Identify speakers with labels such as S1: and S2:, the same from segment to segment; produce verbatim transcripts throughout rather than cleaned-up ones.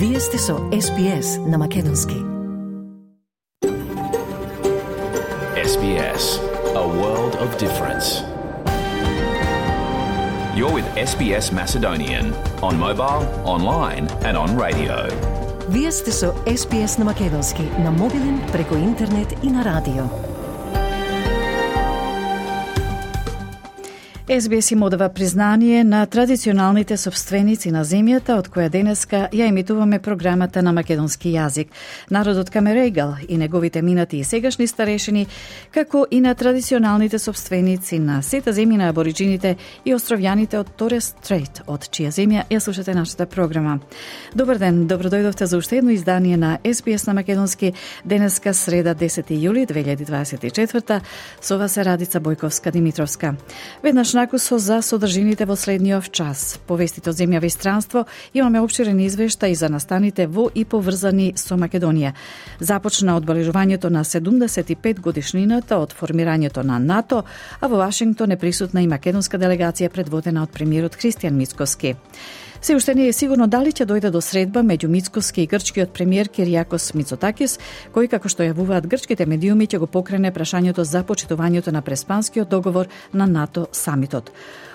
S1: Вие сте со Ес Би Ес на Македонски.
S2: Ес Би Ес, a world of difference. You're with Ес Би Ес Macedonian on mobile, online and on radio.
S1: Вие сте со Ес Би Ес на Македонски, на мобилен, преку интернет и на радио. Ес Би Ес им одава признание на традиционалните собственици на земјата, од која денеска ја емитуваме програмата на македонски јазик. Народот Камерегал и неговите минати и сегашни старешини, како и на традиционалните собственици на сета земји на абориджините и островјаните од Торес Стрейт, од чија земја ја слушате нашата програма. Добар ден, добродојдовте за уште едно издание на Ес Би Ес на Македонски, денеска среда десети јули две илјади дваесет и четврта, со вас е Радица Бојковска-Димитровска. Веднаш накусо за содржините во следниот час. Повестите од земјава и странство, имаме опширен извештај и за настаните во и поврзани со Македонија. Започна одбележувањето на седумдесет и пет годишнината од формирањето на НАТО, а во Вашингтон е присутна и македонска делегација предводена од премиерот Христијан Мицкоски. Се уште не е сигурно дали ќе дојде до средба меѓу Мицкоски и грчкиот премиер Киријакос Мицотакис, кој, како што јавуваат грчките медиуми, ќе го покрене прашањето за почитувањето на Преспанскиот договор на НАТО самитот.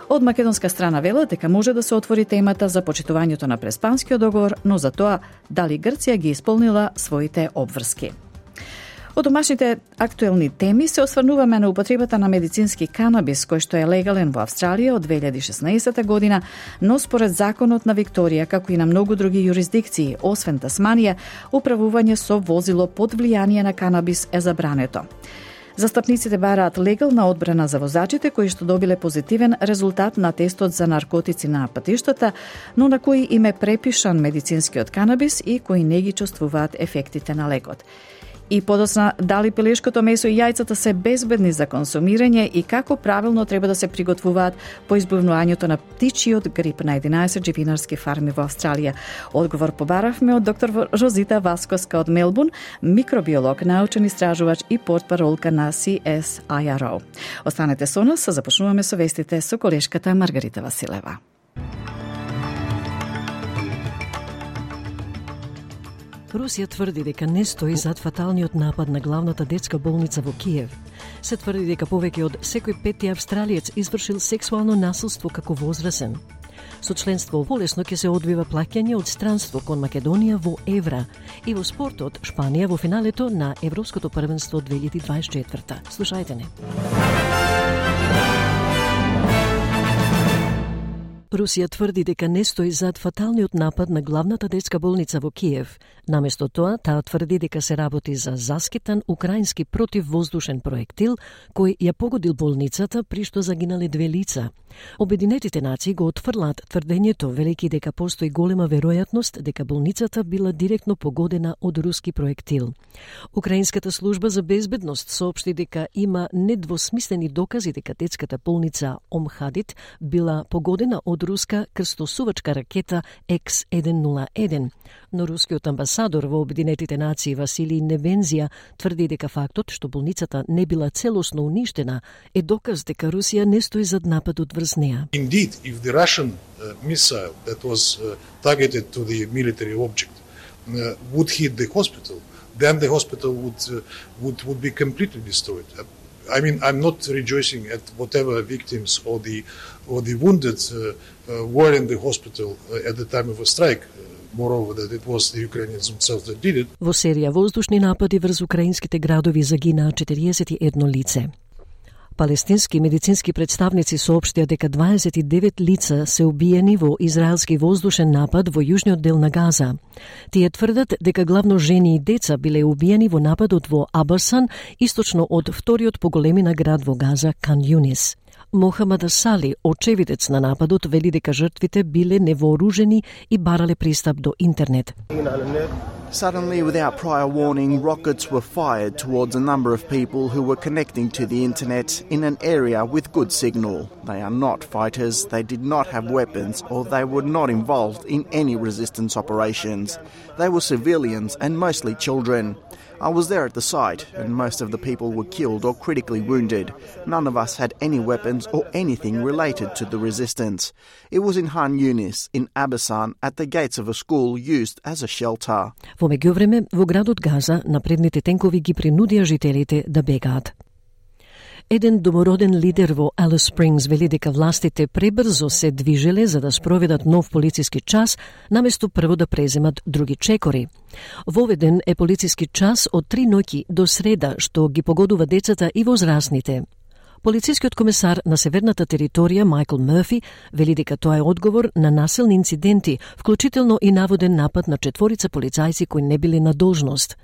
S1: Од македонска страна велат дека може да се отвори темата за почитувањето на Преспанскиот договор, но за тоа дали Грција ги исполнила своите обврски. Од домашните актуелни теми се осврнуваме на употребата на медицински канабис, кој што е легален во Австралија од две илјади и шеснаесета година, но според законот на Викторија, како и на многу други юрисдикции, освен Тасманија, управување со возило под влијание на канабис е забрането. Застапниците бараат легална одбрана за возачите кои што добиле позитивен резултат на тестот за наркотици на патиштата, но на кои им е препишан медицинскиот канабис и кои не ги чувствуваат ефектите на лекот. И подоцна, дали пилешкото месо и јајцата се безбедни за консумирање и како правилно треба да се приготвуваат по избавувањето на птичиот грип на единаесет живинарски фарми во Австралија. Одговор побаравме од доктор Розита Васкоска од Мелбурн, микробиолог, научен истражувач и портпаролка на Си Ес Ај Ар О. Останете со нас, започнуваме со вестите со колешката Маргарита Василева.
S3: Русија тврди дека не стои зад фаталниот напад на главната детска болница во Киев. Се тврди дека повеќе од секој пети австралиец извршил сексуално насилство како возрасен. Со членство полесно ќе се одвива плаќање од странство кон Македонија во евра и во спортот Шпанија во финалето на Европското првенство две илјади дваесет и четврта. Слушајте не. Русија тврди дека не стои зад фаталниот напад на главната детска болница во Киев. Наместо тоа, таа тврди дека се работи за заскитан украински противвоздушен проектил кој ја погодил болницата при што загинале две лица. Обединетите нации го отфрлаат тврдењето, велики дека постои голема веројатност дека болницата била директно погодена од руски проектил. Украинската служба за безбедност соопшти дека има недвосмислени докази дека детската болница Омхадит била погодена од руска крстосувачка ракета Екс еден нула еден, но рускиот амбасадор во Обединетите нации Василий Небензија тврди дека фактот што болницата не била целосно уништена е доказ дека Русија не стои зад нападот врз неа.
S4: Indeed, if the Russian uh, missile that was uh, targeted to the military object uh, would hit the hospital, then the hospital would uh, would would be completely destroyed. Uh, I mean, I'm not rejoicing at whatever victims or the or the wounded uh, uh, were in the hospital uh, at the time of a strike. Uh, moreover, that it was the Ukrainians themselves that did it.
S3: Во серија воздушни напади врз украинските градови загинаа четириесет и едно лице. Палестински медицински представници соопштија дека дваесет и девет лица се убиени во израелски воздушен напад во јужниот дел на Газа. Тие тврдат дека главно жени и деца биле убиени во нападот во Абасан, источно од вториот по големина град во Газа, Кан Јунис. Мохамад Асали, очевидец на нападот, вели дека жртвите биле невооружени и барале пристап до интернет.
S5: Suddenly, without prior warning, rockets were fired towards a number of people who were connecting to the internet in an area with good signal. They are not fighters, they did not have weapons, or they were not involved in any resistance operations. They were civilians and mostly children. I was there at the site, and most of the people were killed or critically wounded. None of us had any weapons or anything related to the resistance. It was in Han Yunis, in Abasan, at the gates of a school used as a shelter.
S3: Во меѓувреме, во градот Газа, напредните тенкови ги принудија жителите да бегаат. Еден домороден лидер во Алис Спрингс вели дека властите пребрзо се движеле за да спроведат нов полициски час, наместо прво да преземат други чекори. Воведен е полициски час од три ноќи до среда, што ги погодува децата и возрастните. Полицискиот комесар на северната територија Майкл Мерфи вели дека тоа е одговор на насилни инциденти, вклучително и наводен напад на четворица полицајци кои не биле на должност.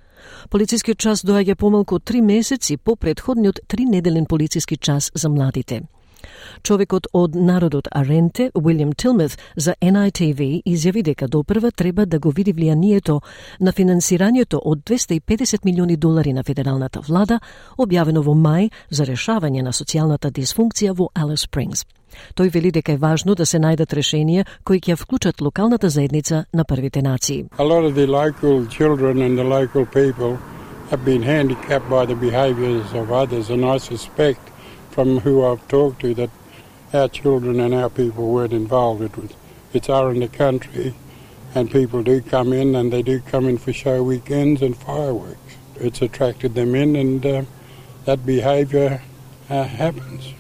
S3: Полицискиот час доаѓа помалку од три месеци по претходниот тринеделен полициски час за младите. Човекот од народот Аренте, Уилјам Тилмет, за Ен Ај Ти Ви изјави дека допрва треба да го види влијанието на финансирањето од двесте и педесет милиони долари на федералната влада, објавено во мај за решавање на социјалната дисфункција во Алис Спрингс. Тој вели дека е важно да се најдат решенија кои ќе вклучат локалната заедница на првите нации.
S6: A lot of the local children and the local people have been handicapped by the behaviours of others, and I suspect from who I've talked to that our children and our people weren't involved. It was, it's our in the country, and people do come in, and they do come in for show weekends and fireworks. It's attracted them in, and uh, that behaviour uh, happens.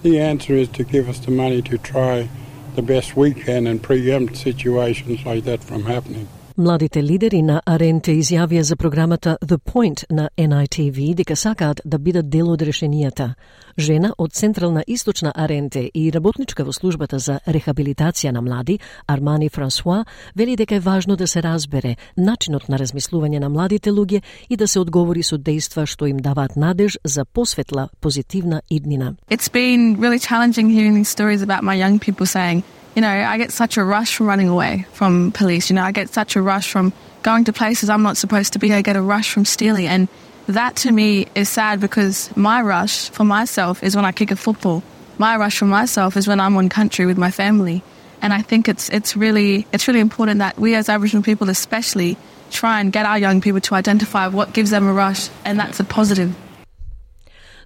S6: The answer is to give us the money to try the best we can and preempt situations like that from happening.
S3: Младите лидери на Аренте изјавија за програмата The Point на Ен Ај Ти Ви дека сакаат да бидат дел од решенијата. Жена од Централна Источна Аренте и работничка во службата за рехабилитација на млади, Армани Франсуа, вели дека е важно да се разбере начинот на размислување на младите луѓе и да се одговори со дејства што им даваат надеж за посветла, позитивна иднина.
S7: It's been really challenging hearing these stories about my young people saying, you know, I get such a rush from running away from police. You know, I get such a rush from going to places I'm not supposed to be. I get a rush from stealing. And that to me is sad because my rush for myself is when I kick a football. My rush for myself is when I'm on country with my family. And I think it's it's really it's really important that we as Aboriginal people especially try and get our young people to identify what gives them a rush, and that's a positive.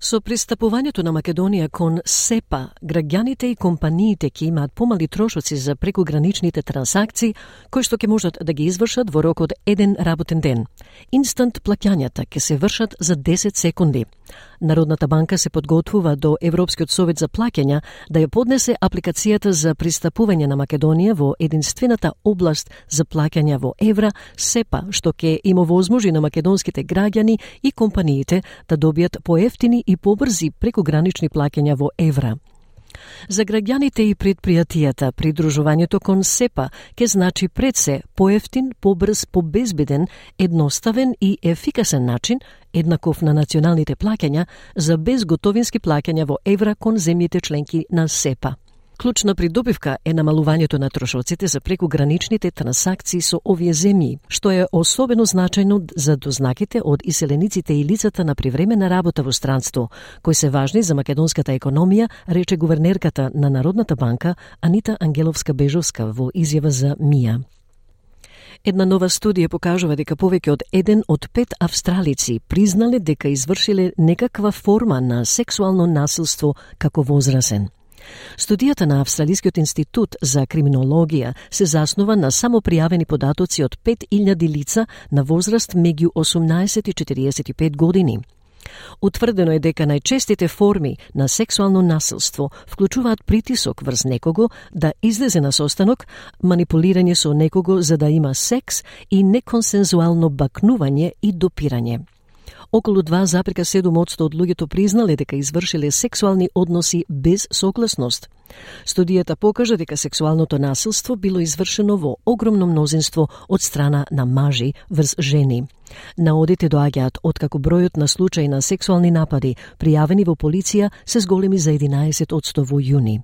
S3: Со пристапувањето на Македонија кон СЕПА, граѓаните и компаниите ќе имаат помали трошоци за прекограничните трансакции, кои што ќе можат да ги извршат во рок од еден работен ден. Инстант плаќањата ќе се вршат за десет секунди. Народната банка се подготвува до Европскиот совет за плаќања да ја поднесе апликацијата за пристапување на Македонија во единствената област за плаќања во евра, СЕПА, што ќе им овозможи на македонските граѓани и компаниите да добијат поевтини и побрзи прекогранични плаќања во евра. За граѓаните и предпријатијата, придружувањето кон СЕПА ќе значи пред се поевтин, побрз, побезбеден, едноставен и ефикасен начин, еднаков на националните плаќања, за безготовински плаќања во евра кон земјите членки на СЕПА. Клучна придобивка е намалувањето на трошоците за прекограничните трансакции со овие земји, што е особено значајно за дознаките од иселениците и лицата на привремена работа во странство, кои се важни за македонската економија, рече гувернерката на Народната банка Анита Ангеловска-Бежовска во изјава за МИА. Една нова студија покажува дека повеќе од еден од пет австралици признале дека извршиле некаква форма на сексуално насилство како возрасен. Студијата на Австралискиот институт за криминологија се заснова на самопријавени податоци од пет илјади лица на возраст меѓу осумнаесет и четириесет и пет години. Утврдено е дека најчестите форми на сексуално насилство вклучуваат притисок врз некого да излезе на состанок, манипулирање со некого за да има секс и неконсензуално бакнување и допирање. Околу два запирка седум одсто од луѓето признале дека извршиле сексуални односи без согласност. Студијата покажа дека сексуалното насилство било извршено во огромно мнозинство од страна на мажи врз жени. Наодите доаѓаат откако бројот на случаи на сексуални напади пријавени во полиција се зголеми за единаесет одсто во јуни.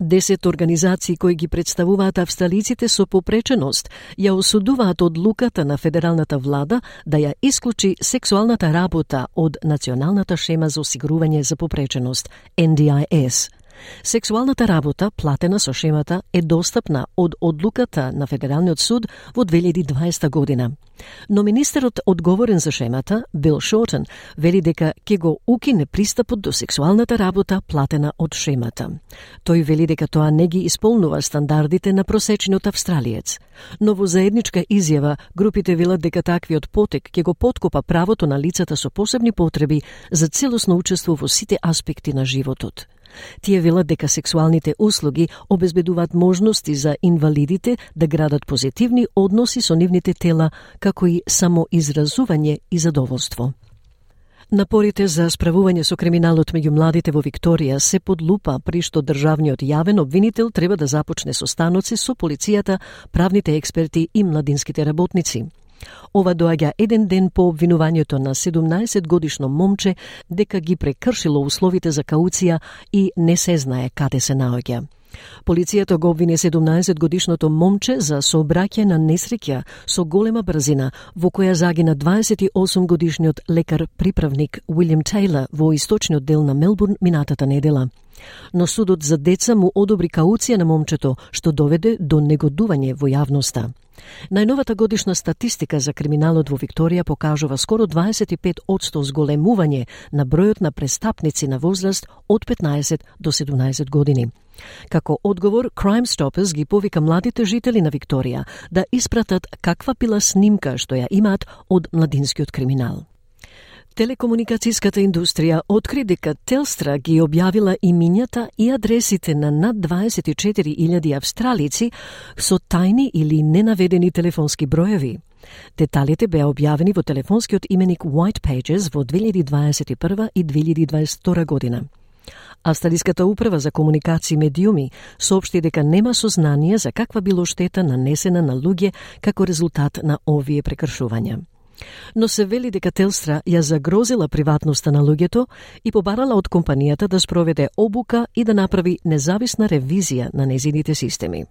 S3: Десет организации кои ги представуваат австралиците со попреченост ја осудуваат одлуката на федералната влада да ја исклучи сексуалната работа од Националната шема за осигурување за попреченост Ен Ди Ај Ес. Сексуалната работа, платена со шемата, е достапна од одлуката на Федералниот суд во две илјади и дваесета година. Но министерот одговорен за шемата, Бил Шортон, вели дека ќе го укине пристапот до сексуалната работа платена од шемата. Тој вели дека тоа не ги исполнува стандардите на просечниот австралиец. Но во заедничка изјава, групите велат дека таквиот потек ќе го поткопа правото на лицата со посебни потреби за целосно учество во сите аспекти на животот. Тие велат дека сексуалните услуги обезбедуваат можности за инвалидите да градат позитивни односи со нивните тела, како и самоизразување и задоволство. Напорите за справување со криминалот меѓу младите во Викторија се под лупа, при што државниот јавен обвинител треба да започне состаноци со полицијата, правните експерти и младинските работници. Ова доаѓа еден ден по обвинувањето на седумнаесет годишно момче дека ги прекршило условите за кауција и не се знае каде се наоѓа. Полицијата го обвини седумнаесет годишното момче за сообраќај на несреќа со голема брзина во која загина дваесет и осум годишниот лекар-приправник Уилјам Тейлор во источниот дел на Мелбурн минатата недела. Но судот за деца му одобри кауција на момчето, што доведе до негодување во јавноста. Најновата годишна статистика за криминалот во Викторија покажува скоро дваесет и пет одсто зголемување на бројот на престапници на возраст од петнаесет до седумнаесет години. Како одговор, Crime Stoppers ги повика младите жители на Викторија да испратат каква била снимка што ја имаат од младинскиот криминал. Телекомуникацијската индустрија откри дека Телстра ги објавила имињата и адресите на над дваесет и четири илјади австралици со тајни или ненаведени телефонски броеви. Деталите беа објавени во телефонскиот именик White Pages во две илјади дваесет и прва и две илјади дваесет и втора година. Австралиската управа за комуникации и медиуми соопшти дека нема сознание за каква било штета нанесена на луѓе како резултат на овие прекршувања. Но се вели дека Телстра ја загрозила приватноста на луѓето и побарала од компанијата да спроведе обука и да направи независна ревизија на незините системи.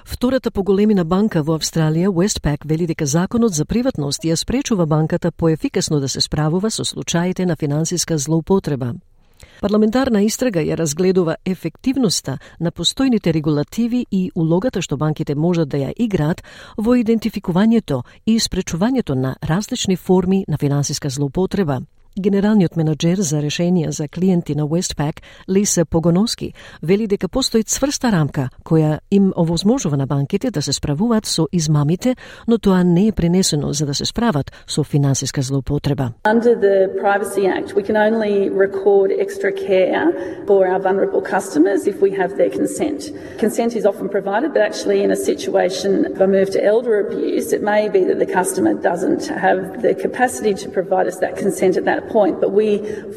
S3: Втората по големина банка во Австралија, Westpac, вели дека законот за приватност ја спречува банката поефикасно да се справува со случаите на финансиска злоупотреба. Парламентарна истрага ја разгледува ефективноста на постојните регулативи и улогата што банките можат да ја играат во идентификувањето и спречувањето на различни форми на финансиска злоупотреба. Генералниот менаџер за решенија за клиенти на Westpac, Лиса Погоноски, вели дека постои цврста рамка која им овозможува на банките да се справуваат со измамите, но тоа не е пренесено за да се справат со финансиска злоупотреба.
S8: Under the Privacy Act, we can only record extra care for our vulnerable customers if we have their consent. Consent is often provided, but actually in a situation of a move to elder abuse, it may be that the customer doesn't have the capacity to provide us that consent at that point, but we,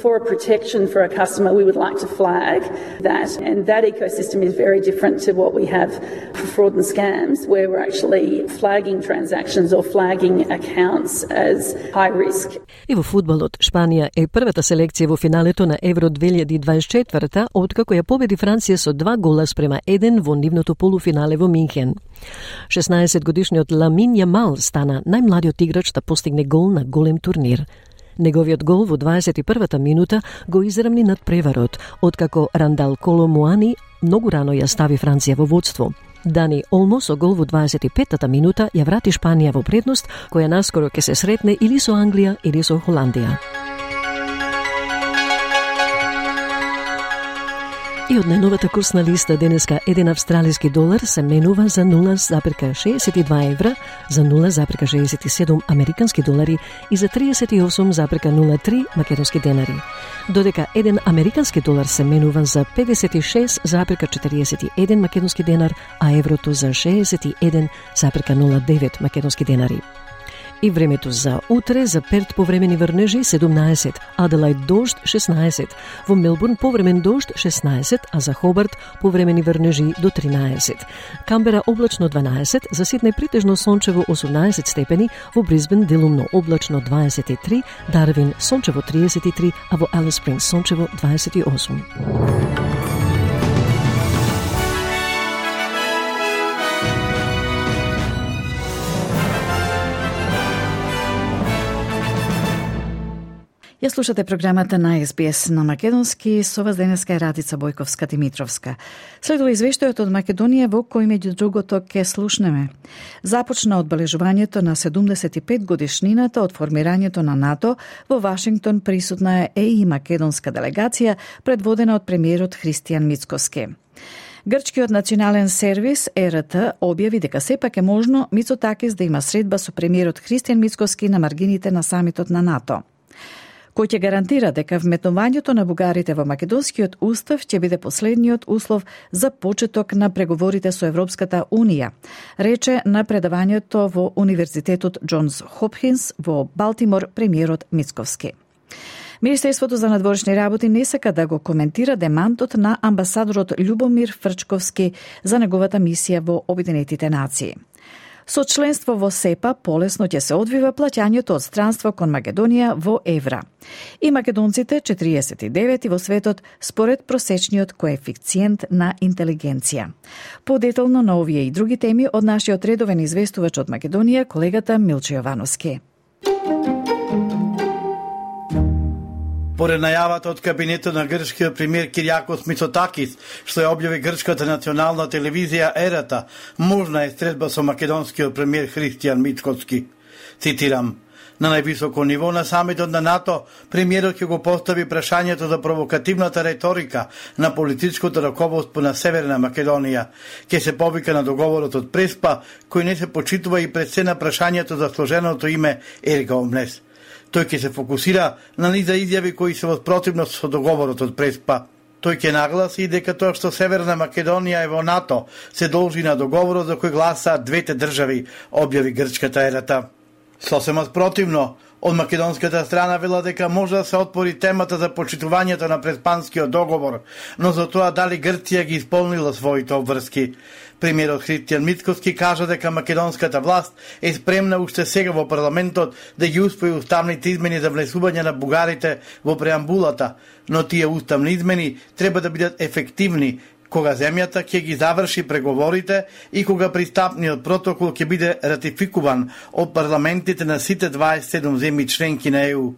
S8: for a protection for a customer, we would like to flag that, and that ecosystem is very different to what we have for fraud and scams, where we're actually flagging transactions or flagging accounts as high risk.
S3: И во фудбалот, Шпанија е првата селекција во финалето на Евро две илјади дваесет и четврта, откако ја победи Франција со два гола спрема еден во нивното полуфинале во Минхен. шеснаесет годишниот Ламин Јамал стана најмладиот играч да постигне гол на голем турнир. Неговиот гол во дваесет и првата минута го израмни над преварот, откако Рандал Коло Муани многу рано ја стави Франција во водство. Дани Олмо со гол во дваесет и петата минута ја врати Шпанија во предност, која наскоро ќе се сретне или со Англија или со Холандија. И од најновата курсна листа денеска еден австралиски долар се менува за нула зарез шеесет и два евра, за нула зарез шеесет и седум американски долари и за триесет и осум зарез нула три македонски денари. Додека еден американски долар се менува за педесет и шест зарез четириесет и еден македонски денар, а еврото за шеесет и еден зарез нула девет македонски денари. И времето за утре: за Перт повремени врнежи седумнаесет, Аделајд дожд шеснаесет, во Мелбурн повремен дожд шеснаесет, а за Хобарт повремени врнежи до тринаесет. Камбера облачно дванаесет, за Сиднеј притежно сончево осумнаесет степени, во Брисбен делумно облачно дваесет и три, Дарвин сончево триесет и три, а во Алис Спрингс сончево дваесет и осум.
S1: Ја слушате програмата на Ес Би Ес на македонски, со вас денеска е Радица Бојковска-Димитровска. Следува извештајот од Македонија во кој меѓу другото ке слушнеме. Започна одбележувањето на седумдесет и пет годишнината од формирањето на НАТО. Во Вашингтон присутна е и македонска делегација, предводена од премиерот Христијан Мицкоски. Грчкиот национален сервис Е Р Т објави дека сепак е можно Мицотакис да има средба со премиерот Христијан Мицкоски на маргините на самитот на НАТО, кој ќе гарантира дека вметнувањето на бугарите во македонскиот устав ќе биде последниот услов за почеток на преговорите со Европската Унија, рече на предавањето во Универзитетот Џонс Хопкинс во Балтимор премиерот Мицкоски. Министерството за надворешни работи не сака да го коментира демантот на амбасадорот Љубомир Фрчковски за неговата мисија во Обединетите нации. Со членство во СЕПА полесно ќе се одвива плаќањето од странство кон Македонија во евра. И македонците четириесет и девети во светот според просечниот коефициент на интелигенција. Подетално на овие и други теми од нашиот редовен известувач од Македонија, колегата Милчо Јовановски.
S9: Поред најавата од кабинетот на грчкиот премиер Кириакос Мицотакис, што ја објави грчката национална телевизија Е Р Т, можна е средба со македонскиот премиер Христијан Мицкоски. Цитирам: на највисоко ниво на самитот на НАТО, премиерот ќе го постави прашањето за провокативната реторика на политичкото раководство на Северна Македонија. Ќе се повика на договорот од Преспа, кој не се почитува и пред се на прашањето за сложеното име Ерга Омлес. Тој ќе се фокусира на низа изјави кои се во спротивност со договорот од Преспа. Тој ќе нагласи дека тоа што Северна Македонија е во НАТО се должи на договорот за кој гласаат двете држави, објави грчката Е Р Т. Сосема спротивно, од македонската страна вела дека може да се отпори темата за почитувањето на Преспанскиот договор, но за тоа дали Грција ги исполнила своите обврски. Премиерот Христијан Мицкоски кажа дека македонската власт е спремна уште сега во парламентот да ги усвои уставните измени за внесување на бугарите во преамбулата, но тие уставни измени треба да бидат ефективни кога земјата ќе ги заврши преговорите и кога пристапниот протокол ќе биде ратификуван од парламентите на сите дваесет и седум земји членки на Е У.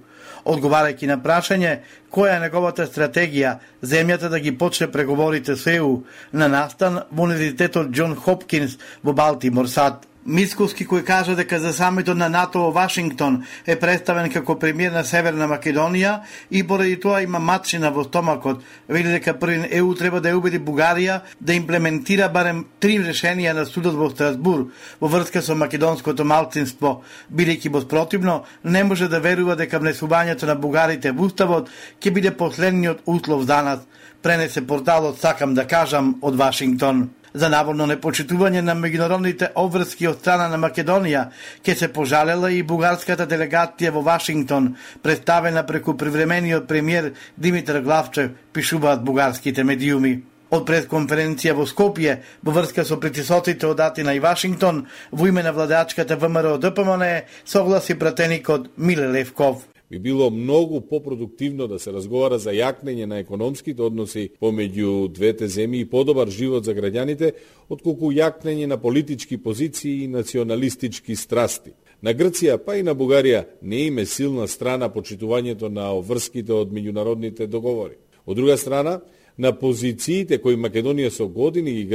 S9: Одговарајќи на прашање која е неговата стратегија земјата да ги почне преговорите со Е У на настан во Универзитетот Џон Хопкинс во Балтимор, САД. Мицкоски, кој кажа дека за самитот на НАТО во Вашингтон е представен како премиер на Северна Македонија и поради тоа има матчина во стомакот, вели дека првин Е У треба да ја убеди Бугарија да имплементира барем три решенија на судот во Страсбур во врска со македонското малцинство, бидејќи во спротивно не може да верува дека внесувањето на бугарите во уставот ќе биде последниот услов за нас, пренесе порталот Сакам да кажам од Вашингтон. За наводно непочитување на меѓународните обврски од страна на Македонија ќе се пожалела и бугарската делегација во Вашингтон, представена преку привремениот премиер Димитар Главчев, пишуваат бугарските медиуми. Од пресконференција во Скопје, во врска со притисоците од Атина и Вашингтон, во име на владачката Вэ Ем Р О Д П М Н, согласи пратеникот Миле Левков.
S10: Би било многу попродуктивно да се разговара за јакнење на економските односи помеѓу двете земји и подобар живот за граѓаните, отколку јакнење на политички позиции и националистички страсти. На Грција, па и на Бугарија, не име силна страна почитувањето на обврските од меѓународните договори. Од друга страна, на позициите кои Македонија со години ги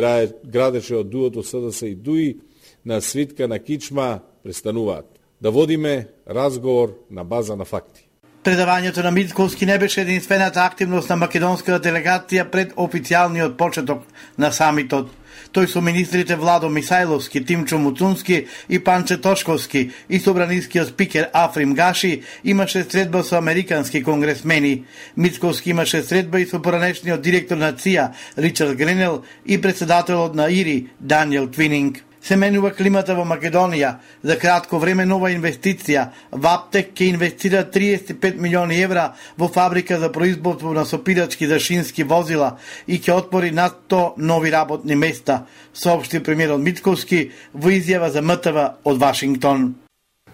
S10: градеше од дуото С Д С и Д У И на свитка на кичма престануваат. Да водиме разговор на база на факти.
S9: Предавањето на Мицкоски не беше единствената активност на македонската делегација пред официјалниот почеток на самитот. Тој со министрите Владо Мисајловски, Тимчо Муцунски и Панче Тошковски и собранискиот спикер Африм Гаши имаше средба со американски конгресмени. Мицкоски имаше средба и со поранешниот директор на Ц И А Ричард Гренел и председателот на И Р И Даниел Твининг. Се менува климата во Македонија. За кратко време нова инвестиција. Ваптек ќе инвестира триесет и пет милиони евра во фабрика за производство на сопирачки за шински возила и ќе отвори над сто нови работни места, соопшти премиерот Мицкоски во изјава за М Т В од Вашингтон.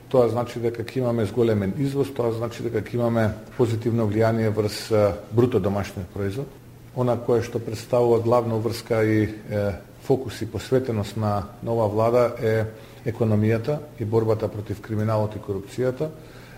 S11: Тоа значи дека ќе имаме зголемен извоз, тоа значи дека ќе имаме позитивно влијание врз бруто домашниот производ. Она кое што представува главна врска и е, фокус и посветеност на нова влада е економијата и борбата против криминалот и корупцијата.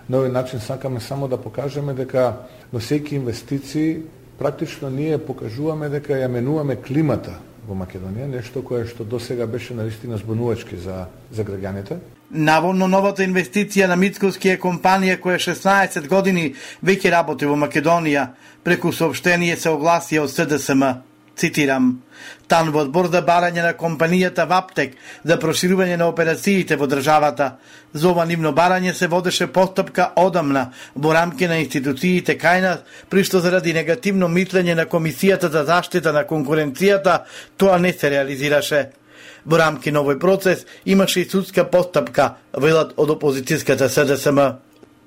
S11: На овој начин сакаме само да покажеме дека носејќи инвестиции практично ние покажуваме дека ја менуваме климата во Македонија, нешто кое што досега беше навистина збунувачки за за граѓаните.
S9: Наводно новата инвестиција на Мицковски е компанија која шеснаесет години веќе работи во Македонија, преку соопштение се огласија од С Д С М. Цитирам: Тан во одбор за барање на компанијата Ваптек за проширување на операциите во државата. За ова нивно барање се водеше постапка одамна во рамки на институциите кај нас, при што заради негативно мислење на Комисијата за заштита на конкуренцијата тоа не се реализираше. Во рамки на овој процес имаше и судска постапка, велат од опозицијската С Д С М.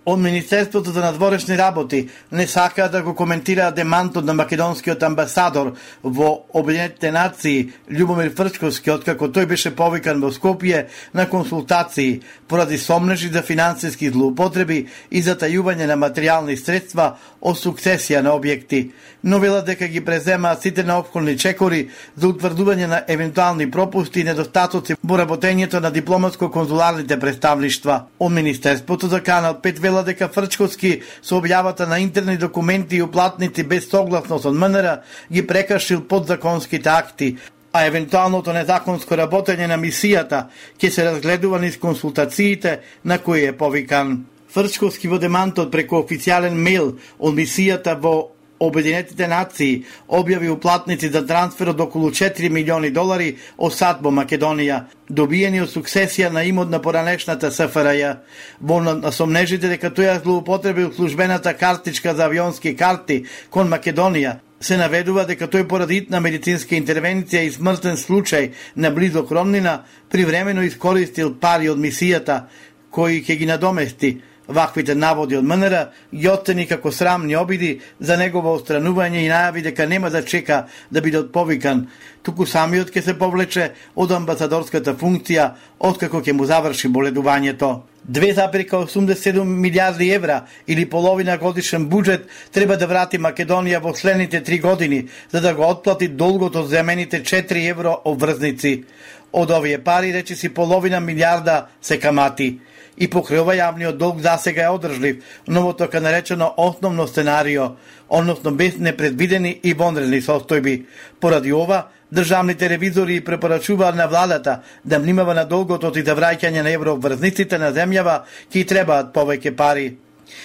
S9: Од Министерството за надворешни работи не сакаат да го коментираат демантот на македонскиот амбасадор во Обединетите нации Љубомир Фрчковски, откако тој беше повикан во Скопје на консултации поради сомнежи за финансиски злоупотреби и затајување на материјални средства од сукцесија на објекти. Но велат дека ги преземаат сите неопходни чекори за утврдување на евентуални пропусти и недостатоци во работењето на дипломатско-конзуларните представништва. Од Министерството за Канал пет велат дека Фрчковски со објавата на интерни документи и уплатници без согласност од М Н Р ги прекршил подзаконските акти, а евентуалното незаконско работење на мисијата ќе се разгледува низ консултациите на кои е повикан. Фрчковски во демантот преку официјален мејл од мисијата во Обединетите нации објави уплатници за трансфер од околу четири милиони долари од САД во Македонија, добиени од сукцесија на имот на поранешната С Ф Р Ј. Во насомнежите дека тој ја злоупотребил службената картичка за авионски карти кон Македонија, се наведува дека тој поради итна медицинска интервенција и смртен случај на близок роднина привремено искористил пари од мисијата кои ќе ги надомести. Ваквите наводи од М Н Р ги оцени како срамни обиди за негово отстранување и најави дека нема да чека да биде отповикан, туку самиот ќе се повлече од амбасадорската функција откако ќе му заврши боледувањето. две зарез осумдесет и седум милијарди евра или половина годишен буџет треба да врати Македонија во следните три години за да го отплати долгот од земените четири евро обврзници. Од овие пари речиси половина милијарда се камати. И покрај ова јавниот долг засега е одржлив, но така наречено основно сценарио, односно без непредвидени и вонредни состојби. Поради ова, државните ревизори препорачуваат на владата да внимава на долгот и за враќање на еврообврзниците на земјава, ки требаат повеќе пари.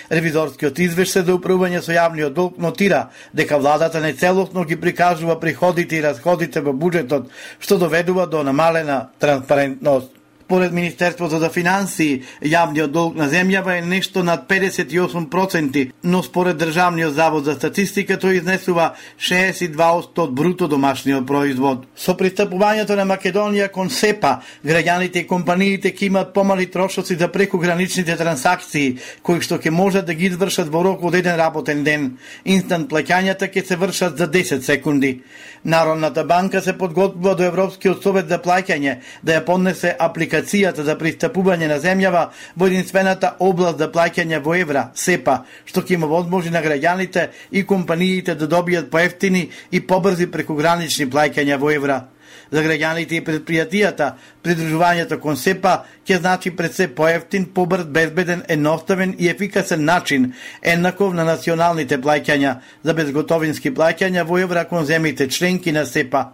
S9: Ревизорскиот извештај за управување со јавниот долг нотира дека владата нецелосно ги прикажува приходите и расходите во буџетот, што доведува до намалена транспарентност. Според Министерството за финансии, јавниот долг на земјава е нешто над педесет и осум проценти, но според Државниот завод за статистика тој изнесува шеесет и два одсто од бруто домашниот производ. Со пристапувањето на Македонија кон С Е П А, граѓаните и компаниите ќе имаат помали трошоци за прекограничните трансакции, кои што ќе можат да ги извршат во рок од еден работен ден. Инстант плаќањата ќе се вршат за десет секунди. Народната банка се подготвува до Европскиот совет за плаќање да ја поднесе апликацијата за пристапување на земјава во единствената област за плаќање во евра, С Е П А, што ќе има возможност на граѓаните и компаниите да добијат поевтини и побрзи прекогранични плаќања во евра. За граѓаните и предпријатијата, придружувањето кон С Е П А ќе значи пред се поевтин, побрз, безбеден, едноставен и ефикасен начин, еднаков на националните плаќања за безготовински плаќања во евра кон земјите членки на С Е П А.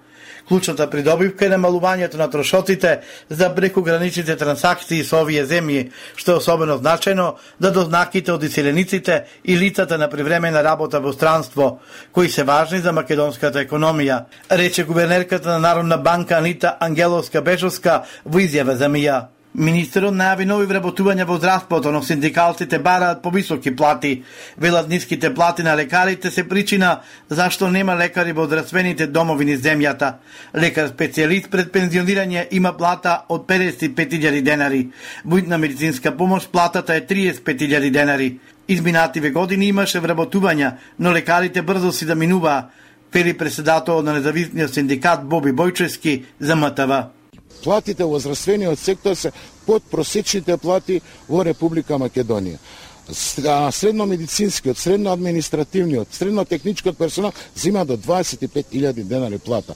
S9: Клучната придобивка е намалувањето на трошоците за прекограничните трансакции со овие земји, што е особено значајно за дознаките од иселениците и лицата на привремена работа во странство, кои се важни за македонската економија, рече гувернерката на Народна банка Анита Ангеловска-Бежовска во изјава за МИА. Министерот најави нови вработувања во здравството, но синдикалците бараат повисоки плати. Велат ниските плати на лекарите се причина зашто нема лекари во здравствените домови низ земјата. Лекар специјалист пред пензионирање има плата од педесет и пет илјади денари. Во итна медицинска помош платата е триесет и пет илјади денари. Изминативе години имаше вработувања, но лекарите брзо си да минуваа, вели председателот на независниот синдикат Боби Бојчевски за М Т В.
S12: Платите во здравствениот сектор се под просечните плати во Република Македонија. Средномедицинскиот, средноадминистративниот, среднотехничкиот персонал зима до дваесет и пет илјади денари плата.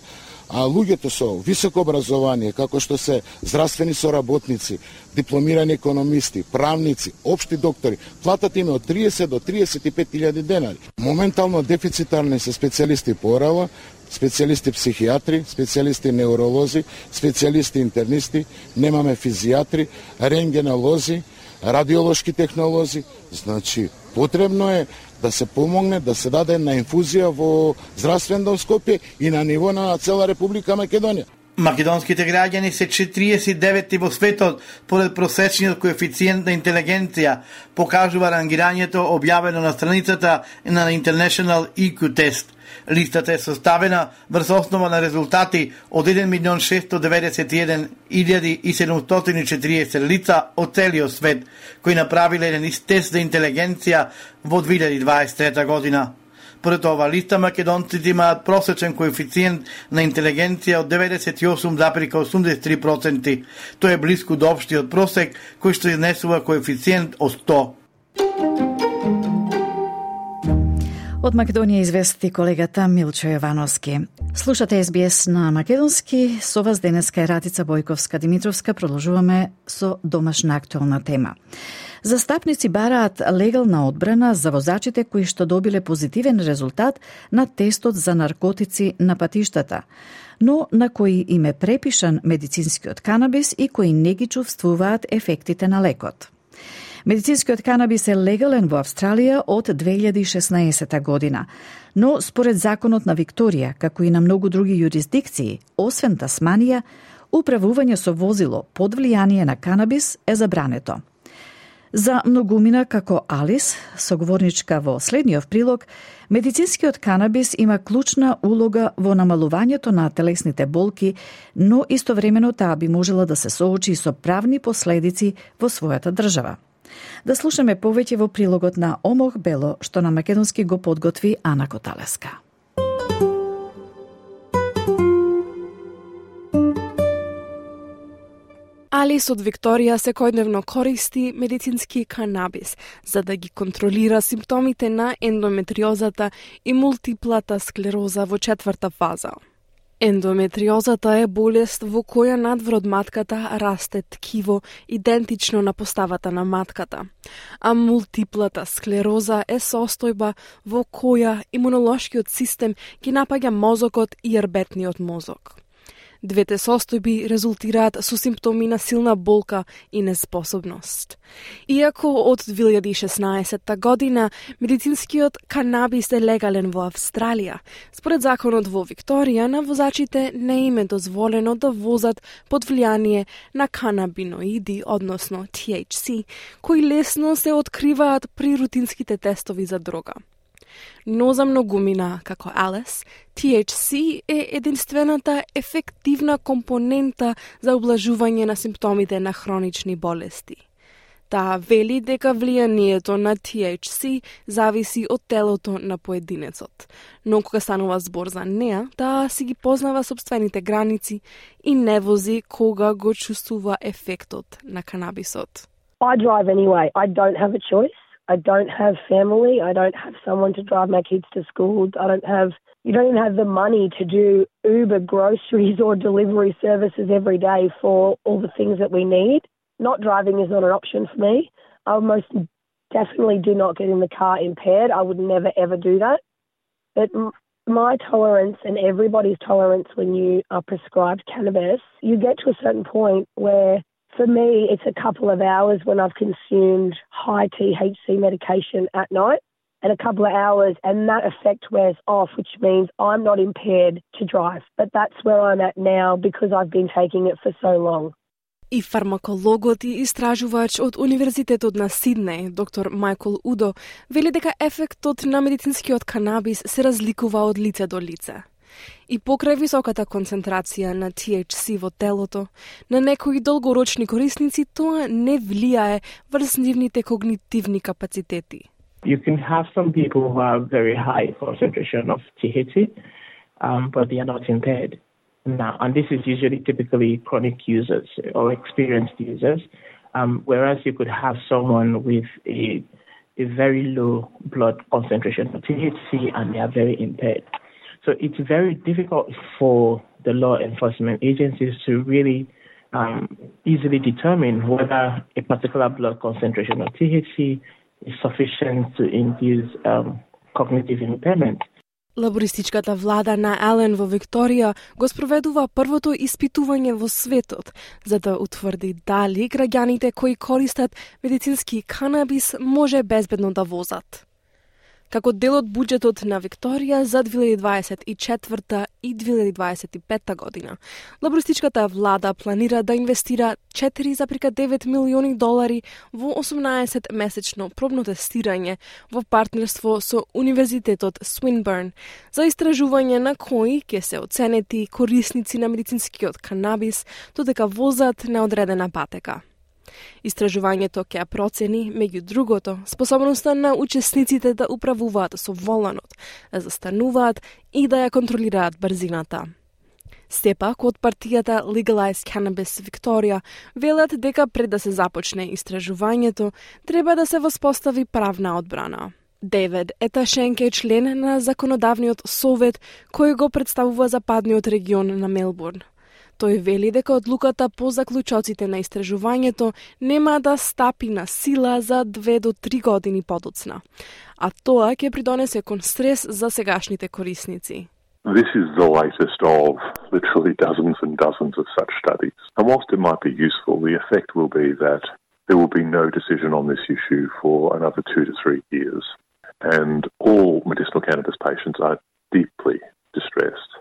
S12: а луѓето со високо образование, како што се здравствени соработници, дипломирани економисти, правници, општи доктори, платата им е од триесет до триесет и пет илјади денари. Моментално дефицитарни се специјалисти по орала, специјалисти психијатри, специјалисти неуролози, специјалисти интернисти, немаме физијатри, рентгенолози, радиолошки технолози. Значи, потребно е да се помогне, да се даде една инфузија во здравствен дом Скопје и на ниво на цела Република Македонија.
S9: Македонските граѓани се четириесет и деветти во светот поред просечниот коефициент на интелигенција, покажува рангирањето објавено на страницата на International И Кју Test. Листата е составена врз основа на резултати од еден милион шестстотини деветдесет и еден илјади и седумстотини и четириесет лица од целиот свет, кои направиле еден ист тест за интелигенција во две илјади дваесет и трета година. Поред ова листа, македонците имаат просечен коефициент на интелигенција од деветдесет и осум зарез осумдесет и три проценти. Тој е блиску до општиот просек, кој што изнесува коефициент од сто.
S1: Од Македонија извести колегата Милчо Јовановски. Слушате Ес Би Ес на македонски. Со вас денеска е Ратица Бојковска-Димитровска. Продолжуваме со домашна актуелна тема. Застапници бараат легална одбрана за возачите кои што добиле позитивен резултат на тестот за наркотици на патиштата, но на кои им е препишан медицинскиот канабис и кои не ги чувствуваат ефектите на лекот. Медицинскиот канабис е легален во Австралија од две илјади и шеснаесета година, но според законот на Викторија, како и на многу други юрисдикции, освен Тасманија, управување со возило под влијание на канабис е забрането. За многумина како Алис, соговорничка во следниот прилог, медицинскиот канабис има клучна улога во намалувањето на телесните болки, но истовремено таа би можела да се соочи со правни последици во својата држава. Да слушаме повеќе во прилогот на Омох Бело, што на македонски го подготви Ана Коталеска.
S13: Алис од Викторија секојдневно користи медицински канабис за да ги контролира симптомите на ендометриозата и мултиплата склероза во четврта фаза. Ендометриозата е болест во која надвор од матката расте ткиво идентично на поставата на матката, а мултиплата склероза е состојба во која имунолошкиот систем ги напаѓа мозокот и јарбетниот мозок. Двете состојби резултираат со симптоми на силна болка и неспособност. Иако од две илјади и шеснаесета година медицинскиот канабис е легален во Австралија, според законот во Викторија на возачите не им е дозволено да возат под влијание на канабиноиди, односно Ти Ейч Си, кои лесно се откриваат при рутинските тестови за дрога. Но за многумина, како Алис, Ти Ейч Си е единствената ефективна компонента за облажување на симптомите на хронични болести. Таа вели дека влијанието на Ти Ейч Си зависи од телото на поединецот, но кога станува збор за неа, таа си ги познава собствените граници и не вози кога го чувствува ефектот на канабисот.
S14: I drive anyway. I don't have a choice. I don't have family. I don't have someone to drive my kids to school. I don't have, you don't even have the money to do Uber groceries or delivery services every day for all the things that we need. Not driving is not an option for me. I most definitely do not get in the car impaired. I would never ever do that. But my tolerance and everybody's tolerance when you are prescribed cannabis, you get to a certain point where for me, it's a couple of hours when I've consumed high T H C medication at night and a couple of hours and that effect wears off, which means I'm not impaired to drive. But that's where I'm at now because I've been taking it for so long.
S13: И фармакологот и истражувач од Универзитетот на Сиднеј, доктор Мајкл Удо, вели дека ефектот на медицинскиот канабис се разликува од лице до лице. И покрај високата концентрација на Ти Ейч Си во телото, на некои долгорочни корисници тоа не влијае врз нивните когнитивни капацитети.
S15: You can have some people who have very high concentration of T H C, um, but they are not impaired. Now, and this is usually typically chronic users or experienced users, um, whereas you could have someone with a, a very low blood concentration of T H C and they are very impaired. So it's very difficult for the law enforcement agencies to really um, easily determine whether a particular blood concentration of T H C is sufficient to induce um, cognitive impairment.
S13: Лабористичката влада на Елен во Викторија го спроведува првото испитување во светот за да утврди дали граѓаните кои користат медицински канабис може безбедно да возат. Како дел од буџетот на Викторија за две илјади дваесет и четврта и две илјади дваесет и петта година, лабористичката влада планира да инвестира четири зарез и девет милиони долари во осумнаесет месечно пробно тестирање во партнерство со Универзитетот Swinburne за истражување на кои ќе се оценети корисници на медицинскиот канабис додека возат неодредена патека. Истражувањето ќе процени, меѓу другото, способноста на учесниците да управуваат со воланот, да застануваат и да ја контролираат брзината. Сепак, од партијата Legalize Cannabis Викторија велат дека пред да се започне истражувањето, треба да се воспостави правна одбрана. Дейвид Еташенк е член на законодавниот совет кој го представува западниот регион на Мелбурн. Тој вели дека одлуката по заклучоците на истражувањето нема да стапи на сила за две до три години подоцна, а тоа ќе придонесе кон стрес за сегашните корисници.
S16: This is the latest of literally dozens and dozens of such studies. And whilst it might be useful, the effect will be that there will be no decision on this issue for another two to three years. And all medicinal cannabis patients are deeply distressed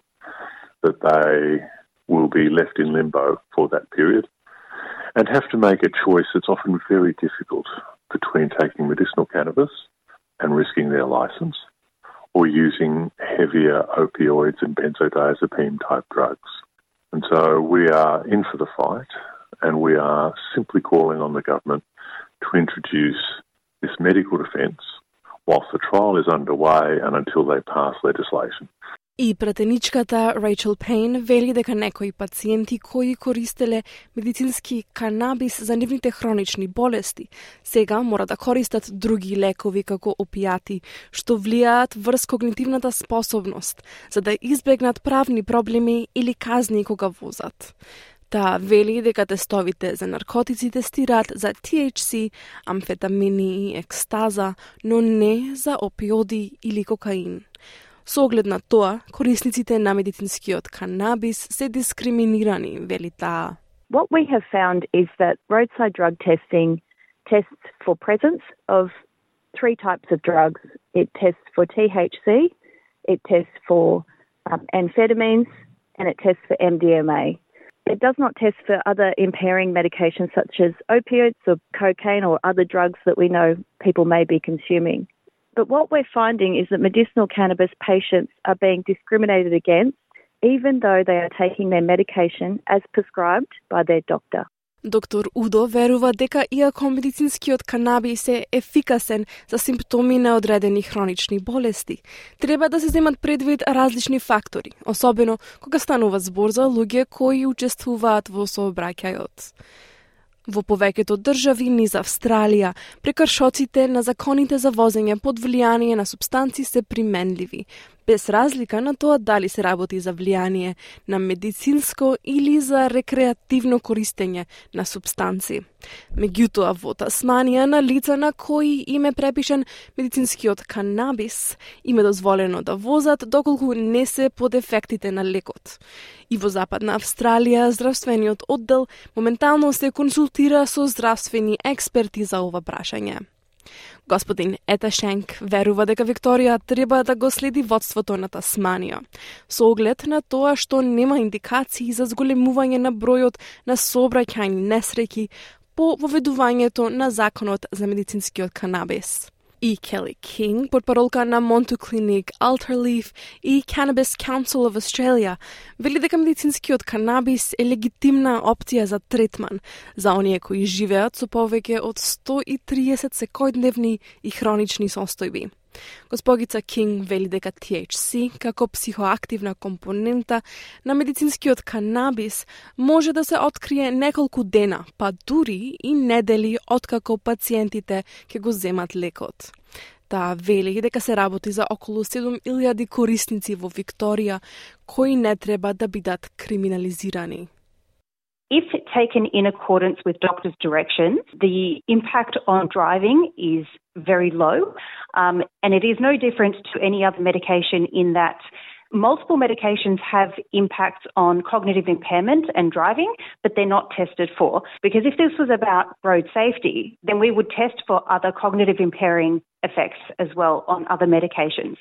S16: that they will be left in limbo for that period and have to make a choice that's often very difficult between taking medicinal cannabis and risking their license or using heavier opioids and benzodiazepine type drugs. And so we are in for the fight and we are simply calling on the government to introduce this medical defence whilst the trial is underway and until they pass legislation.
S13: И пратеничката Рейчел Пейн вели дека некои пациенти кои користеле медицински канабис за нивните хронични болести, сега мора да користат други лекови како опијати, што влијаат врз когнитивната способност, за да избегнат правни проблеми или казни кога возат. Таа вели дека тестовите за наркотици тестираат за T H C, амфетамини и екстаза, но не за опиоди или кокаин. Со оглед на тоа, корисниците на медицинскиот канабис се дискриминирани, вели таа.
S17: What we have found is that roadside drug testing tests for presence of three types of drugs. It tests for T H C, it tests for um, amphetamines, and it tests for M D M A. It does not test for other impairing medications such as opioids or cocaine or other drugs that we know people may be consuming. But what we're finding is that medicinal cannabis patients are being discriminated against even though they are taking their medication as prescribed by their doctor.
S13: Доктор Удо верува дека иако медицинскиот канабис е ефикасен за симптоми на одредени хронични болести, треба да се земат предвид различни фактори, особено кога станува збор за луѓе кои учествуваат во сообраќајот. Во повеќето држави низ Австралија, прекршоците на законите за возење под влијание на супстанци се применливи, без разлика на тоа дали се работи за влијание на медицинско или за рекреативно користење на супстанци. Меѓутоа, во Тасманија на лица на кои им е препишан медицинскиот канабис, им е дозволено да возат доколку не се под ефектите на лекот. И во Западна Австралија, здравствениот оддел моментално се консултира со здравствени експерти за ова прашање. Господин Еташенк верува дека Викторија треба да го следи водството на Тасманија, со оглед на тоа што нема индикации за зголемување на бројот на сообраќајни несреќи по воведувањето на законот за медицинскиот канабис. И Келли Кинг, портпаролка на Montu Clinic, Alterleaf и Cannabis Council of Australia, вели дека медицинскиот канабис е легитимна опција за третман за оние кои живеат со повеќе од сто и триесет секојдневни и хронични состојби. Госпогица Кинг вели дека T H C, како психоактивна компонента на медицинскиот канабис, може да се открие неколку дена, па дури и недели откако пациентите ќе го земат лекот. Таа вели дека се работи за околу седум илјади корисници во Викторија кои не треба да бидат криминализирани.
S18: If taken in accordance with doctors' directions, the impact on driving is very low, um, and it is no different to any other medication in that multiple medications have impacts on cognitive impairment and driving, but they're not tested for. Because if this was about road safety, then we would test for other cognitive impairing effects as well on other medications,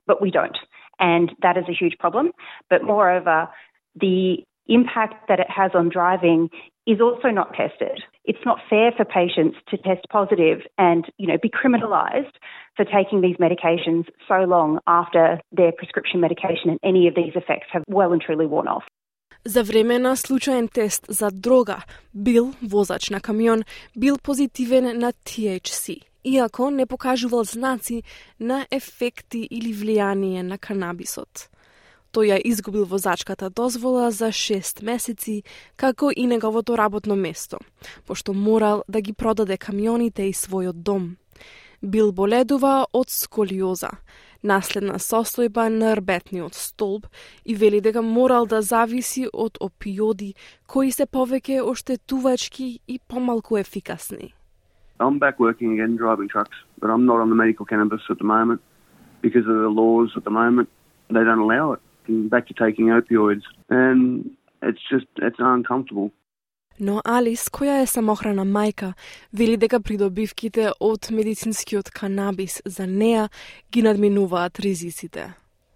S18: but we don't. And that is a huge problem. But moreover, the impact that it has on driving is also not tested. It's not fair for patients to test positive and, you know, be criminalised for taking these medications so long after their prescription medication and any of these effects have well and truly worn off.
S13: За време на случаен тест за дрога, Бил, возач на камион, бил позитивен на T H C, иако не покажувал знаци на ефекти или влијание на канабисот. Тој ја изгубил возачката дозвола за шест месеци, како и неговото работно место, пошто морал да ги продаде камионите и својот дом. Бил боледува од сколиоза, наследна состојба на рбетниот столб, и вели дека морал да зависи од опиоди кои се повеќе оштетувачки и помалку ефикасни.
S19: I'm back working again driving trucks, but I'm not on the medical cannabis at the moment because of the laws at the moment. They don't allow it. I'm back to taking opioids, and it's just it's uncomfortable.
S13: Но Алис, која е самохрана мајка, вели дека придобивките од медицинскиот канабис за неа ги надминуваат ризиците.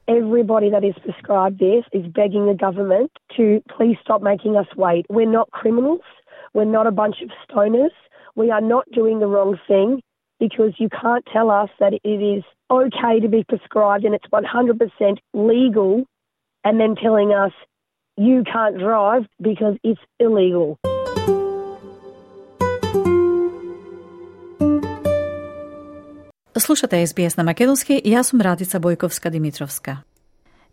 S14: Everybody that is prescribed this is begging the government to please stop making us wait. We're not criminals. We're not a bunch of stoners. We are not doing the wrong thing because you can't tell us that it is okay to be prescribed and it's one hundred percent legal and then telling us you can't drive because it's illegal.
S1: Слушате Ес Би Ес на македонски, јас сум Радица Бојковска-Димитровска.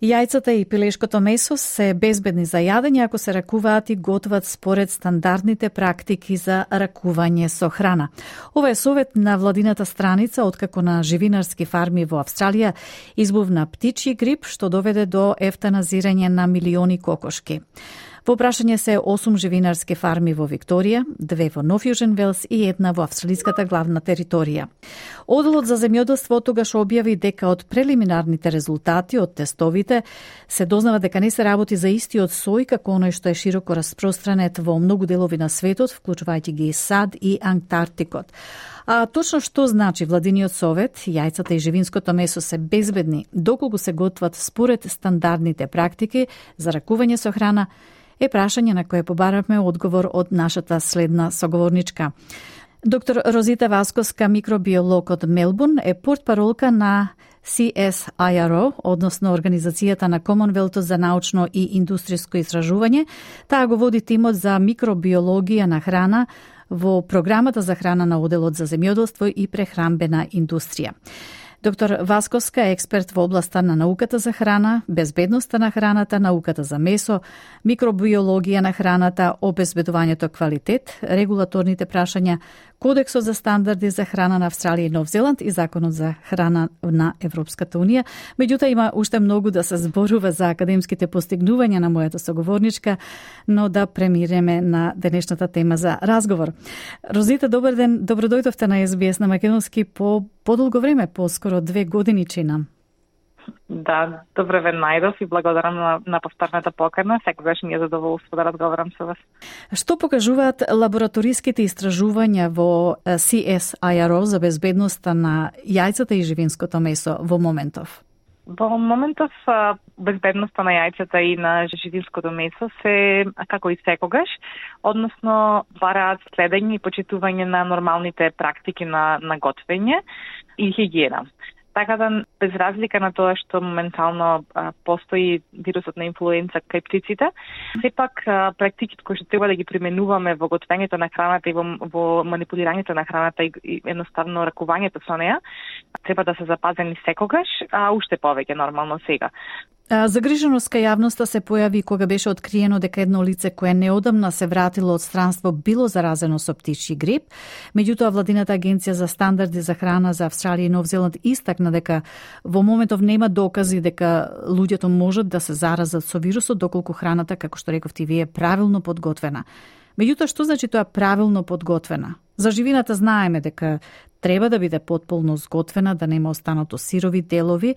S1: Јајцата и пилешкото месо се безбедни за јадење ако се ракуваат и готват според стандардните практики за ракување со храна. Ова е совет на владината страница откако на живинарски фарми во Австралија избувна птичји грип што доведе до ефтаназирање на милиони кокошки. Во прашање се осум живинарски фарми во Викторија, две во Нов Јужен Велс и една во австралиската главна територија. Оделот за земјоделство тогаш објави дека од прелиминарните резултати од тестовите се дознава дека не се работи за истиот сој како оној што е широко распространет во многу делови на светот, вклучувајќи ги САД и Антарктикот. А точно што значи владиниот совет, јајцата и живинското месо се безбедни доколку се готват според стандардните практики за ракување со храна, е прашање на кое побаравме одговор од нашата следна соговорничка. Доктор Розита Васкоска, микробиолог од Мелбурн, е портпаролка на Си Ес Ај Ар О, односно Организацијата на Комонвелтот за научно и индустријско истражување. Таа го води тимот за микробиологија на храна во програмата за храна на Оделот за земјоделство и прехранбена индустрија. Доктор Васкоска е експерт во областа на науката за храна, безбедноста на храната, науката за месо, микробиологија на храната, обезбедувањето квалитет, регулаторните прашања, Кодексот за стандарди за храна на Австралија и Нов Зеланд и Законот за храна на Европската Унија. Меѓутоа има уште многу да се зборува за академските постигнувања на мојата соговорничка, но да премиреме на денешната тема за разговор. Розита, добар ден, добро дојдовте на Ес Би Ес на македонски по подолго време, по скоро две години чина.
S20: Да, добре ве најдов и благодарам на, на повторната покана. Секогаш ми е задоволство да разговарам со вас.
S1: Што покажуваат лабораториските истражувања во Си Ес Ај Ар О за безбедноста на јајцата и живинското месо во моментов?
S20: Во моментов безбедноста на јајцата и на живинското месо се како и секогаш, односно бараат следење и почитување на нормалните практики на, на готвење и хигиена. Така да, без разлика на тоа што моментално а, постои вирусот на инфлуенца кај птиците, сепак а, практиките кои што треба да ги применуваме во готвењето на храната и во, во манипулирањето на храната и, и едноставно ракувањето со неа, треба да се запазени секогаш, а уште повеќе нормално сега.
S1: Загриженост кај јавноста се појави кога беше откриено дека едно лице кое неодамна се вратило од странство било заразено со птичји грип. Меѓутоа, владината агенција за стандарди за храна за Австралија и Нов Зеланд истакна дека во моментов нема докази дека луѓето можат да се заразат со вирусот доколку храната, како што рековте вие, е правилно подготвена. Меѓутоа, што значи тоа правилно подготвена? За живината знаеме дека треба да биде потполно зготвена, да нема останато сирови делови.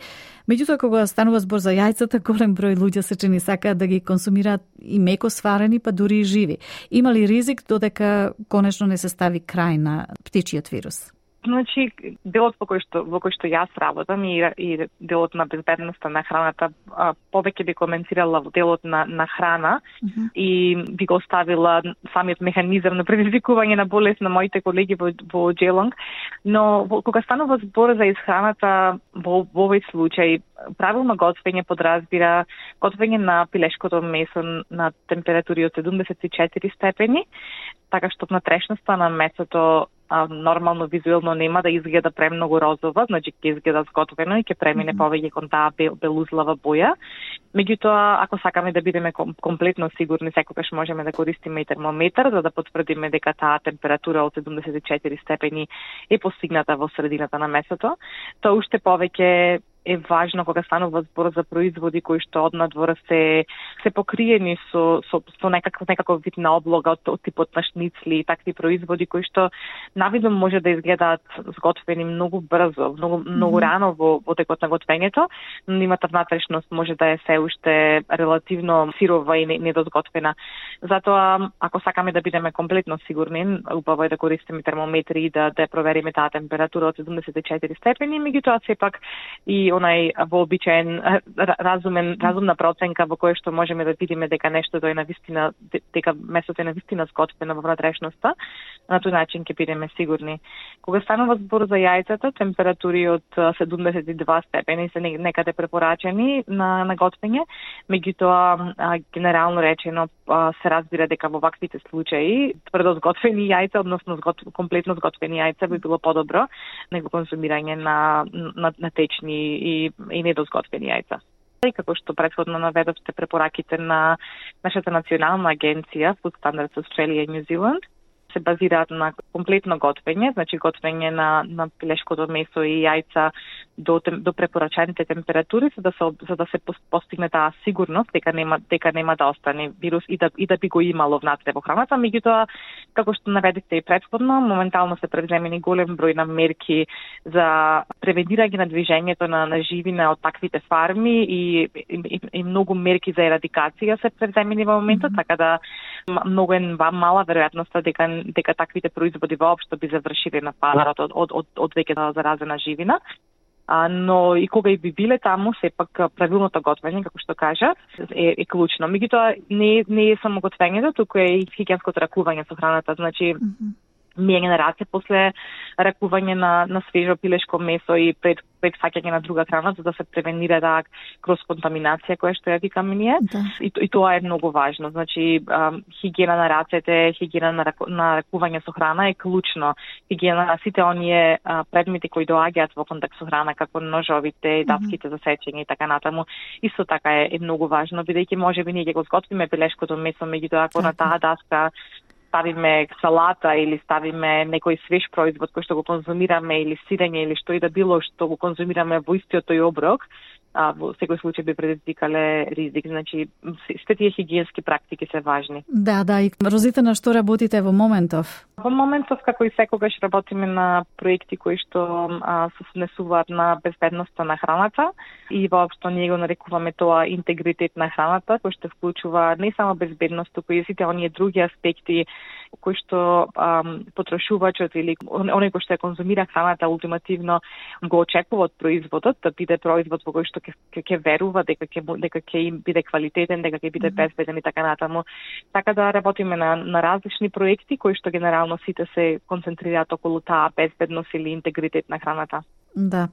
S1: Меѓутоа, кога станува збор за јајцата, голем број луѓе се чини сакаат да ги консумираат и меко сварени, па дури и живи. Има ли ризик додека конечно не се стави крај на птичиот вирус?
S20: Значи, делот во кој што во кој што јас работам и, и делот на безбедноста на храната, а, повеќе би коментирала во делот на на храна mm-hmm. и би го оставила самиот механизам на предизвикување на болест на моите колеги во во Джелонг, но во, кога станува збор за исхраната во, во овој случај, правилно готвење подразбира готвење на пилешкото месо на температури од седумдесет и четири степени, така што внатрешноста на месото а, нормално визуелно нема да изгледа премногу розова, значи ќе изгледа зготвено и ќе премине повеќе кон таа бел, белузлава боја. Меѓутоа, ако сакаме да бидеме комплетно сигурни, секогаш можеме да користиме и термометар за да потврдиме дека таа температура од седумдесет и четири степени е постигната во средината на месото. Тоа уште повеќе е важно кога станува збор за производи кои што однадвор се се покриени со со, со некаков некаков вид на облога од, од типот на шницли и такви производи кои што навидом може да изгледаат зготвени многу брзо, многу многу mm-hmm. рано во во текот на готвењето, но нивната внатрешност може да е се уште релативно сирова и недозготвена. Затоа, ако сакаме да бидеме комплетно сигурни, убаво е да користиме термометри и да да провериме таа температура од седумдесет и четири степени, меѓутоа сепак и онај вообичаен разумен разумна проценка во која што можеме да видиме дека нештото е навистина, дека месото е навистина зготвено во внатрешноста, на тој начин ќе бидеме сигурни. Кога станува збор за јајцата, температури од седумдесет и два степени се некаде препорачени на на готвење, меѓутоа генерално речено се разбира дека во ваквите случаи тврдо зготвени јајца, односно згот, комплетно зготвени јајца би било подобро него консумирање на на, на течни и, и недозготвени јајца. И како што претходно наведовте препораките на нашата национална агенција Food Standards Australia и New Zealand се базираат на комплетно готвење, значи готвење на на пилешкото месо и јајца до до препорачаните температури за да се за да се постигне таа сигурност дека нема дека нема да остане вирус и да и да би го имало внатре во храната, меѓутоа како што наведете и претходно, моментално се преземени голем број на мерки за превенирање на движењето на на живина од таквите фарми и и, и многу мерки за ерадикација се преземени во моментот, mm-hmm. така да многу е мала веројатноста дека дека таквите производи воопшто би завршиле на пазарот од од од, од веќе заразена живина. А, но и кога и би биле таму, сепак правилното готвење, како што кажа, е, е клучно. Меѓутоа не не е само готвењето, туку е и хигиенското ракување со храната, значи mm-hmm. мијање на раце после ракување на на свежо пилешко месо и пред пред фаќање на друга храна за да се превенира таа крос-контаминација која што ја викаме ние. Да. И, и тоа е многу важно. Значи хигиена на рацете, хигиена на, раку, на ракување со храна е клучно. Хигиена на сите оние а, предмети кои доаѓаат во контакт со храна, како ножовите, даските за сечење и така натаму, исто така е, е многу важно, бидејќи можеби ние ќе го зготвиме пилешкото месо, меѓутоа ако на таа даска ставиме салата или ставиме некој свеж производ кој што го конзумираме или сирење или што и да било што го конзумираме во истиот тој оброк, а во секој случај би предизвикале ризик. Значи, сите тие хигиенски практики се важни.
S1: Да, да, и Розита, на што работите во моментов?
S20: Во моментов, како и секогаш, работиме на проекти кои што а, се внесуваат на безбедноста на храната и воопшто ние го нарекуваме тоа интегритет на храната, кој што вклучува не само безбедност, туку и сите оние други аспекти кои што ам, потрошувачот или оној кој што ја конзумира храната ултимативно го очекува од производот, да биде производ во кој што ќе ќе верува дека ќе дека ќе им биде квалитетен, дека ќе биде безбеден и така натаму. Така да работиме на на различни проекти кои што генерално сите се концентрираат околу таа безбедност или интегритет на храната.
S1: Да.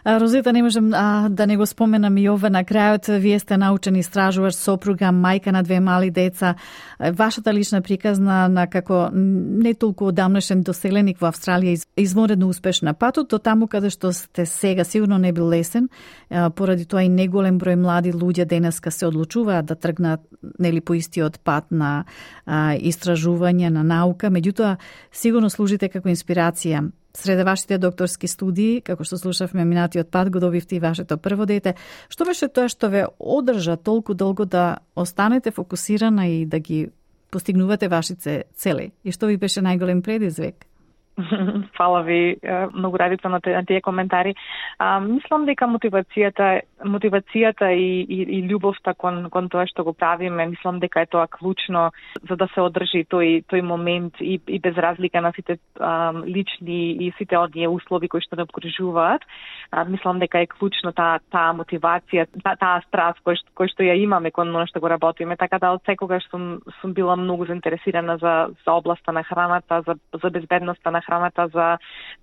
S1: Розита, не можем а, да не го споменам и ова на крајот. Вие сте научен истражувач, сопруга, мајка на две мали деца. Вашата лична приказна на како не толку одамнашен доселеник во Австралија изморедно успешна патот до таму каде што сте сега, сигурно не бил лесен. Поради тоа и неголем број млади луѓе денеска се одлучуваат да тргнат нели по истиот пат на а, истражување, на наука. Меѓутоа, сигурно служите како инспирација. Среде вашите докторски студии, како што слушавме минатиот пат, го добивте и вашето прво дете. Што беше тоа што ве одржа толку долго да останете фокусирана и да ги постигнувате вашите цели? И што ви беше најголем предизвик?
S20: Фала ви многу, Радица, на тие коментари. А, мислам дека мотивацијата, мотивацијата и, и, и љубовта кон, кон тоа што го правиме, мислам дека е тоа клучно за да се одржи тој, тој момент и, и без разлика на сите а, лични и сите оние услови кои што не обкружуваат. А, мислам дека е клучно таа та мотивација, таа та страст кој, кој што ја имаме кон оно што го работиме. Така да од секогаш сум, сум била многу заинтересирана за, за областа на храната, за, за безбедноста на храната, за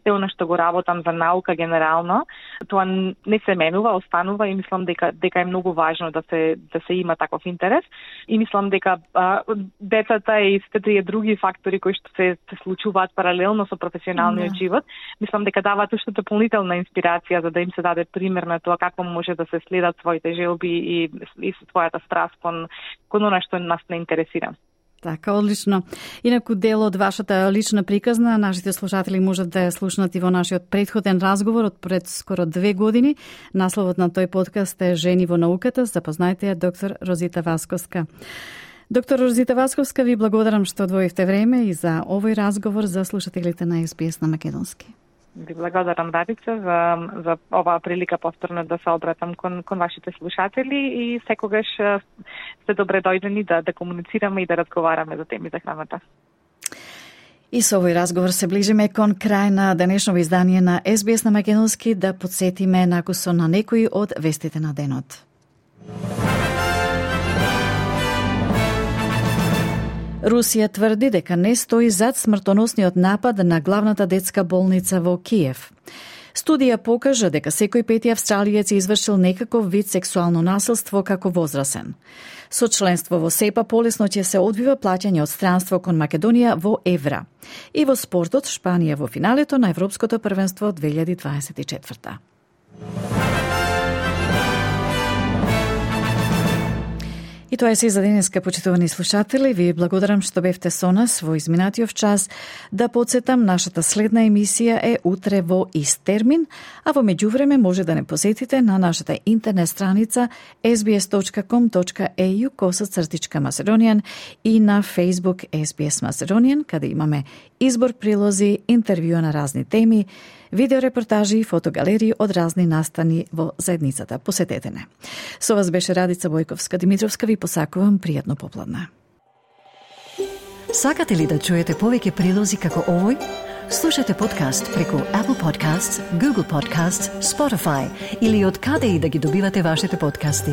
S20: се оно што го работам, за наука генерално. Тоа не се менува, останува и мислам дека дека е многу важно да се да се има таков интерес. И мислам дека а, децата и сите тие други фактори кои што се се случуваат паралелно со професионалниот yeah. живот, мислам дека даваат уште дополнителна инспирација за да им се даде пример на тоа како може да се следат своите желби и и својата страст кон кон она што нас не интересира.
S1: Така, одлично. Инаку дел од вашата лична приказна, нашите слушатели можат да ја слушнат и во нашиот претходен разговор од пред скоро две години. Насловот на тој подкаст е Жени во науката. Запознајте ја доктор Розита Васковска. Доктор Розита Васковска, ви благодарам што одвоивте време и за овој разговор за слушателите на Ес Би Ес на македонски.
S20: Ви благодарам, Радица, за, за оваа прилика повторно да се обратам кон, кон вашите слушатели и секогаш сте добре дојдени да, да комуницираме и да разговараме за теми за храната.
S1: И со овој разговор се ближиме кон крај на денешното издание на Ес Би Ес на македонски, да подсетиме накусо на некои од вестите на денот. Русија тврди дека не стои зад смртоносниот напад на главната детска болница во Киев. Студија покажа дека секој пети австралиец извршил некаков вид сексуално насилство како возрасен. Со членство во СЕПА полесно ќе се одбива плаќање од странство кон Македонија во евра. И во спортот, Шпанија во финалето на Европското првенство две илјади дваесет и четврта. И тоа е се за денеска, почитувани слушатели. Ви благодарам што бевте со нас во изминатиот час. Да подсетам, нашата следна емисија е утре во ист термин, а во меѓувреме може да не посетите на нашата интернет страница ес би ес точка ком точка е ю косацртичка Macedonian и на Facebook Ес Би Ес Macedonian, каде имаме избор прилози, интервјуа на разни теми, видеорепортажи и фотогалерии од разни настани во заедницата. Посетете не. Со вас беше Радица Бојковска-Димитровска. Ви посакувам пријатно попладне.
S3: Сакате ли да чуете повеќе прилози како овој? Слушате подкаст преку Apple Podcasts, Google Podcasts, Spotify или од каде и да ги добивате вашите подкасти.